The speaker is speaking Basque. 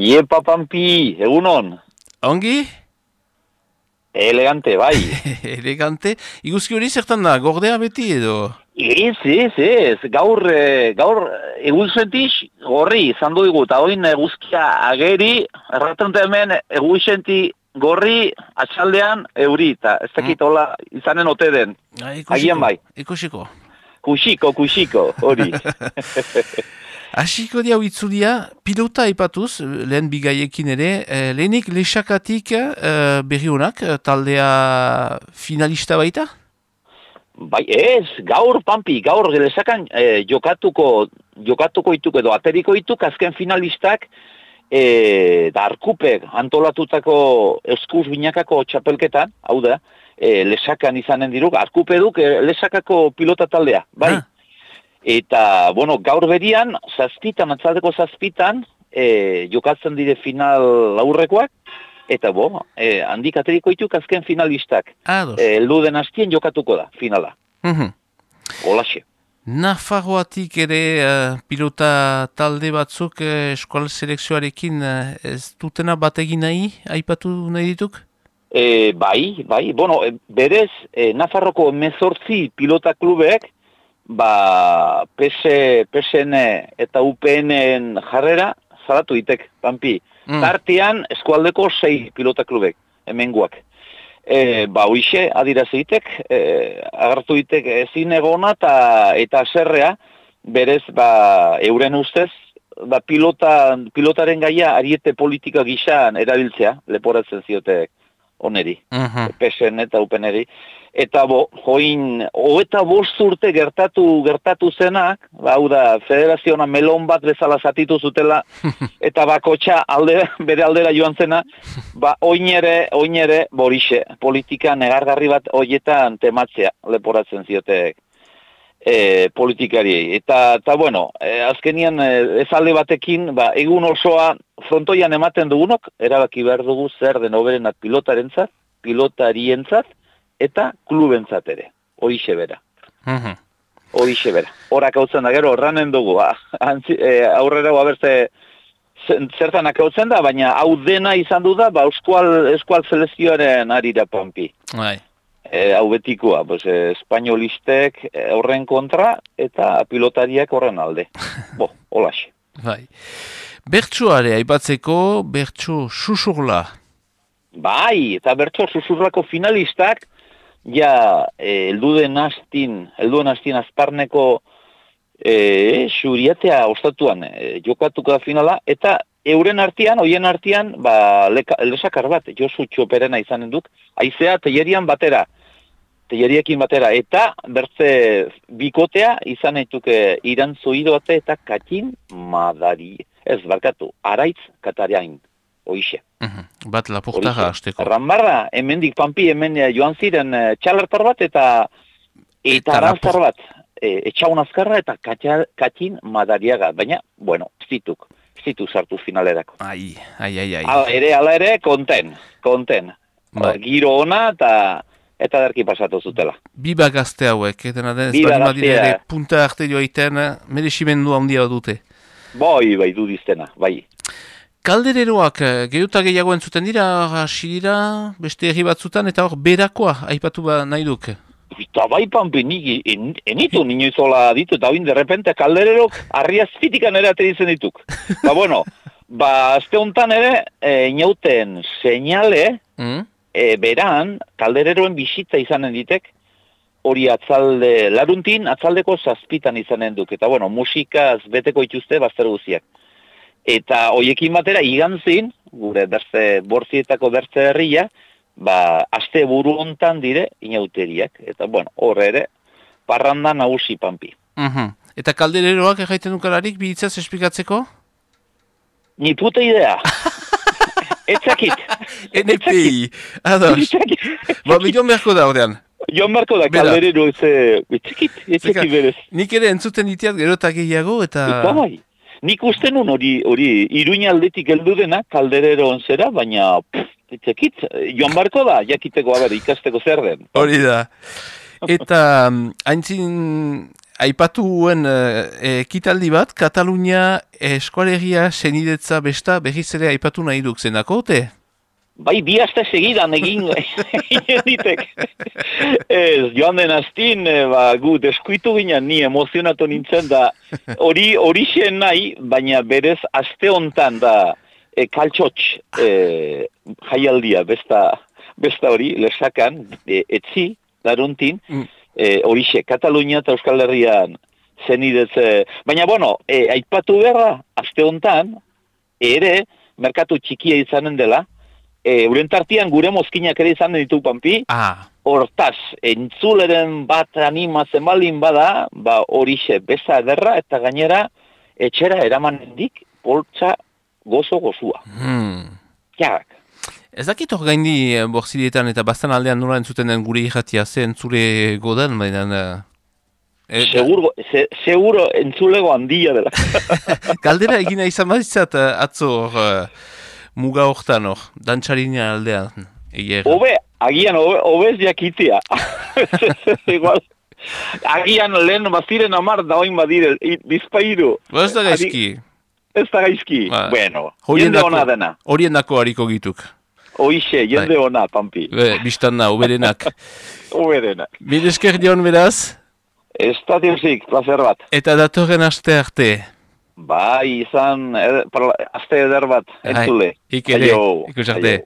Iepa Pampi, egunon. Ongi? Elegante, bai. Elegante. Iguzki hori zertan da, gordea beti edo? Ez. Gaur egun sentiz gorri izan dugu, eta oin eguzkia ageri, erraten hemen egun senti gorri atxaldean euri, eta ez dakit hola izanen ote den. Agian bai. Ikusiko. Kuxiko, hori. Hasiko dia itzulia, pilota aipatuz, lehen bigaiekin ere, lehenik lexakatik berri honak, taldea finalista baita? Bai, ez, gaur lesakan jokatuko ituk edo ateriko ituk azken finalistak da Arkupek antolatutako eskuz binakako txapelketan, hau da, lesakan izanen diruk, Arkupeduk lesakako pilota taldea, bai. Eta, gaur berian, atzaldeko zazpitan, jokatzen dire final aurrekoak, eta handik ateriko ituk azken finalistak. Elduden hastien jokatuko da, finala. Olaxe. Nafarroatik ere pilota talde batzuk eskual selekzioarekin ez dutena bategin nahi, aipatu nahi dituk? Bai, berez, Nafarroko 18 pilota klubeek, PSN eta UPN jarrera zaratu ditek, Pampi. Tartean eskualdeko 6 pilota klubek, hemenguak. Hoixe, adirazitek, agartu ditek ezin egona eta zerrea, berez, euren ustez, pilotaren gaia ariete politika gizan erabiltzea, leporatzen ziotek oneri, PSN eta UPN-eri. Eta join, 25 urte gertatu zenak, hau da, federaziona melon bat bezala zatitu zutela, eta bakotxa bere aldera joan zena, oin ere, borixe, politika negargarri bat hoietan tematzea, leporatzen ziotek politikari. Eta azkenian ezalde batekin, egun osoa frontoian ematen dugunok, erabaki behar dugu zer den hoberenat pilotarientzat, eta klubentzat ere, horixe bera. Horak hautzen da, gero, horranen dugu, aurrera berze zertan akautzen da, baina hau dena izan du da, eskual selezioaren arira, Pampi. Hau betikoa, espainolistek horren kontra, eta pilotariak horren alde. Holaxe. Bertsoare, aipatzeko, bertso susurla. Bai, eta bertso susurlako finalistak, helduen hastin azparneko xuriatea ostatuan jokatuko da finala, eta hoien artean, lesakar bat, Josu Txoperena izanen duk, haizea teieriekin batera, eta bertze bikotea izan eituke irantzuidoate eta katin madari, araitz katariain. Hoixe. Bat lapurtara hasteko. Rambarra, hemendik Pampi, hemen joan ziren txalertar bat eta arantzar bat. Etxaun azkarra eta katin madariaga. Baina, zitu sartu finalerako. Ai. Ala ere, konten. Giro ona eta derki pasatu zutela. Biba gazte hauek, dena den, ez ere punta arte joaiten, merezimendu handia dute. Bai, dudiztena, bai. Kaldereroak, gehiuta gehiago entzuten dira, hasi dira, beste herri batzutan, eta hor, berakoa, aipatu nahi duk. Eta bai, Pampi, enitu ninoizola ditu, eta hori derrepente kaldererok arriazpitikan ere aterizen dituk. Azte honetan ere, inauten seinale, beran, kaldereroen bisitza izanen ditek, hori laruntin, atzaldeko zazpitan izanen duk. Eta musikaz beteko ituzte, bazter guziak. Eta hoiekin batera, igantzin, gure borzietako bertze herria, aste buru hontan dire inauteriak. Eta horre ere, parranda nagusi, Pampi. Eta kaldereroak erraiten dukalarik, bihitzaz esplikatzeko? Ni puta idea. Etzakit. NPI. Ados. Joan beharko da, ordean. Joan beharko da, kalderero etzakit berez. Nik ere entzuten ditiat gero eta gehiago, eta... Nik uste nun hori Iruña aldetik heldu dena, kalderero onzera, baina itzekit, joan barko da, jakiteko ikasteko zer den. Hori da. Eta haintzin aipatuen ekitaldi bat, Katalunia eskualegia senidetza besta berriz ere aipatu nahi duk zenako, ote? Bai, bi aste segidan egin ditek. Ez, joan den astin, gu deskuitu ginen, ni emozionatu nintzen da, hori xen nahi, baina berez aste hontan da kaltxotx jaialdia, besta hori, lesakan, etzi, laruntin, horixe, Katalunia eta Euskal Herrian zenidetze. Baina, bueno, aipatu beharra, aste hontan, ere, merkatu txikia izanen dela, euren tartian gure mozkinak ere izanen ditu, Pampi. Hortaz, entzuleren bat animatzen balin bada, horixe, beza ederra, eta gainera, etxera eramanendik, poltsa gozo-gozua. Jak. Ez dakit hor gaindi borzilietan eta bastan aldean nola entzuten den gure irratia, ze entzule godan, baina... Seguro entzulego handia dela. Galdera egina izan baditzat atzo hor muga hortan hor, dantxarina aldean. Agian obez jakitia. Igual. Agian lehen baziren 10 da oin badire, bizpairu. Ez da gaizki. Ez da gaizki. Bueno, jende hona dena. Horien dako hariko gituk. Hoixe, jende hona, Pampi. Bistan na, uberenak. Uberenak. Bidesker dion beraz? Ez da diosik, placer bat. Eta datorren aste arte? Bai, izan, aste eder bat, entzule. Ikere, ikusarte.